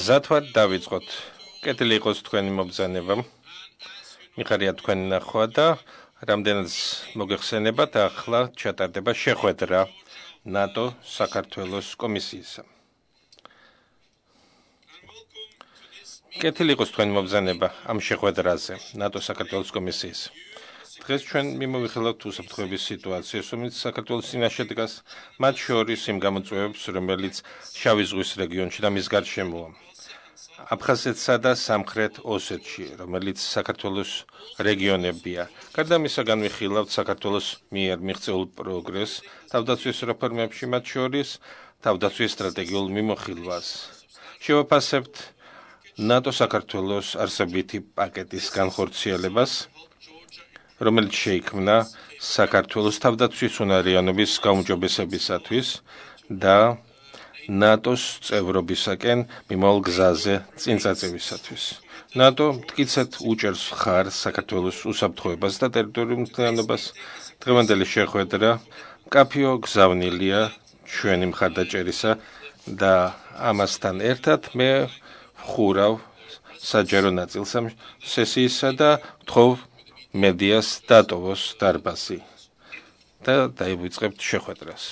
მზად ვარ დავიწყოთ. კეთილი იყოს თქვენი მობრძანება. მიხარია თქვენი ნახვა და რამდენიც მოგეხსენებათ, ახლა ჩატარდება შეხვედრა ნატო საქართველოს კომისიისა. კეთილი იყოს თქვენი მობრძანება ამ შეხვედრაზე ნატო საქართველოს კომისიის. დღეს ჩვენ მიმოვიხილავთ უსაფრთხოების სიტუაციას, რომელიც საქართველოს წინაშე დგას, მათ შორის იმ გამოწვევებს, რომელიც შავი ზღვის რეგიონში და მის გარშემოა. აფხაზეთსა და სამხრეთ ოსეთში, რომელიც საქართველოს რეგიონებია. გარდა ამისა, განვიხილავთ საქართველოს მიერ მიღწეულ პროგრესს თავდაცვის რეფორმებში, მათ შორის თავდაცვის სტრატეგიულ მიმოხილვას. შევაფასებთ ნატო საქართველოს არსებითი პაკეტის განხორციელებას, რომელიც შეიქმნა საქართველოს თავდაცვის უნარიანობის გაუმჯობესებისათვის და ნატოს წევრობისაკენ მიმავალ გზაზე წინწაწევისათვის. ნატო მტკიცედ უჭერს მხარს საქართველოს უსაფრთხოებას და ტერიტორიულ მთლიანობას. დღევანდელი შეხვედრა მკაფიო გზავნილია ჩვენი მხარდაჭერისა და ამასთან ერთად მე ვხურავ საჯარო ნაწილს ამ სესიისა და ვთხოვ მედიას დატოვოს დარბაზი და დაივიწყებთ შეხვედრას.